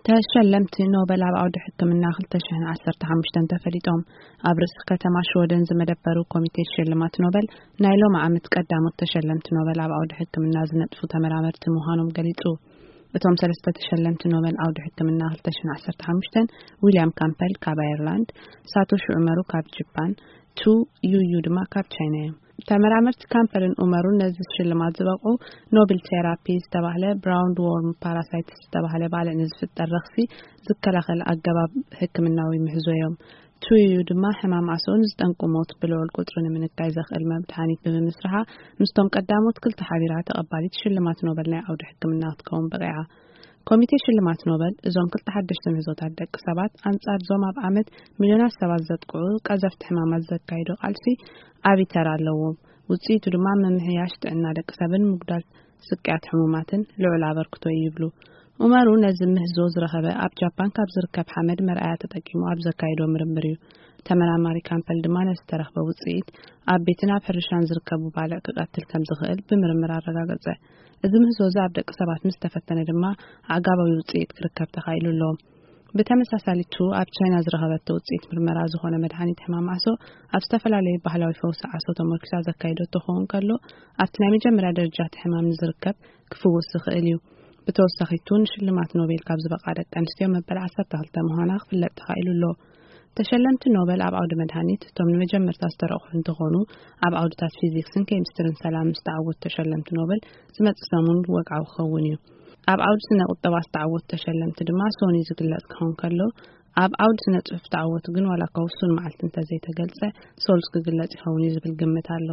ተሸለምቲ ኖበል ኣብ ዓውዲ ሕክምና ክልተ ሽሕን ዓሰርተ ሓሙሽተን ተፈሊጦም። ኣብ ርእሲ ከተማ ሽወደን ዝመደበሩ ኮሚቴ ሽልማት ኖበል፣ ናይ ሎም ዓመት ቀዳሞት ተሸለምቲ ኖበል ኣብ ዓውዲ ሕክምና ዝነጥፉ ተመራመርቲ ምዃኖም ገሊጹ። እቶም ሰለስተ ተሸለምቲ ኖበል ዓውዲ ሕክምና ክልተ ሽሕን ዓሰርተ ሓሙሽተን፣ ዊልያም ካምፐል ካብ ኣየርላንድ፣ ሳቶሺ ዑመሩ ካብ ጃፓን፣ ቱ ዩዩ ድማ ካብ ቻይና እዮም። ተመራመርቲ ካምፐልን ኡመሩን ነዚ ሽልማት ዝበቕዑ፣ ኖብል ቴራፒ ዝተባህለ ብራውንድ ዎርም ፓራሳይትስ ዝተባህለ ባልዕ ንዝፍጠር ረኽሲ ዝከላኸል ኣገባብ ሕክምናዊ ምህዞ እዮም። ቱዩ ድማ ሕማም ኣሶን ዝጠንቁ ሞት ብልዑል ቁጽሪ ንምንካይ ዘኽእል መድሓኒት ብምምስርሓ፣ ምስቶም ቀዳሞት ክልተ ሓቢራ ተቐባሊት ሽልማት ኖበል ናይ ዓውዲ ሕክምና ክትከውን በቒዓ። ኮሚቴ ሽልማት ኖበል፣ እዞም ክልተ ሓደሽቲ ምህዞታት ደቂ ሰባት ኣንጻር ዞም ኣብ ዓመት ሚልዮናት ሰባት ዘጥቅዑ ቀዘፍቲ ሕማማት ዘካይዶ ቃልሲ ዓቢ ተራ ኣለዎም። ውጽኢቱ ድማ ምምሕያሽ ጥዕና ደቂ ሰብን ምጉዳል ስቅያት ሕሙማትን ልዑል ኣበርክቶ እዩ ይብሉ። ኡመሩ ነዚ ምህዞ ዝረኸበ ኣብ ጃፓን ካብ ዝርከብ ሓመድ መርኣያ ተጠቂሙ ኣብ ዘካይዶ ምርምር እዩ። ተመራማሪ ካምፐል ድማ ነዚ ዝተረኽበ ውጽኢት ኣብ ቤትን ኣብ ሕርሻን ዝርከቡ ባልዕ ክቐትል ከም ዝኽእል ብምርምር ኣረጋገጸ። እዚ ምህዞ እዚ ኣብ ደቂ ሰባት ምስ ተፈተነ ድማ ኣዕጋባዊ ውጽኢት ክርከብ ተኻኢሉ ኣሎ። ብተመሳሳሊቱ ኣብ ቻይና ዝረኸበቶ ውጽኢት ምርመራ ዝኾነ መድሓኒት ሕማም ዓሶ ኣብ ዝተፈላለዩ ባህላዊ ፈውሲ ዓሶ ተመርኪሳ ዘካይዶ ተኸውን ከሎ፣ ኣብቲ ናይ መጀመርያ ደረጃ እቲ ሕማም ንዝርከብ ክፍውስ ዝኽእል እዩ። ብተወሳኺቱ ንሽልማት ኖቤል ካብ ዝበቕዓ ደቂ ኣንስትዮ መበል ዓሰርተ ክልተ ምዃና ክፍለጥ ተኻኢሉ ኣሎ። ተሸለምቲ ኖበል ኣብ ዓውዲ መድሃኒት እቶም ንመጀመርታ ዝተረቑሑ እንትኾኑ፣ ኣብ ዓውድታት ፊዚክስን ኬሚስትርን ሰላም ዝተዓወቱ ተሸለምቲ ኖበል ዝመጽእ ሰሙን ወግዓዊ ክኸውን እዩ። ኣብ ዓውዲ ስነ ቁጠባ ዝተዓወቱ ተሸለምቲ ድማ ሶኒ ዝግለጽ ክኸውን ከሎ፣ ኣብ ዓውዲ ስነ ጽሑፍ ዝተዓወቱ ግን ዋላ እኳ ውሱን መዓልቲ እንተዘይተገልጸ፣ ሶሉስ ክግለጽ ይኸውን እዩ ዝብል ግምት ኣሎ።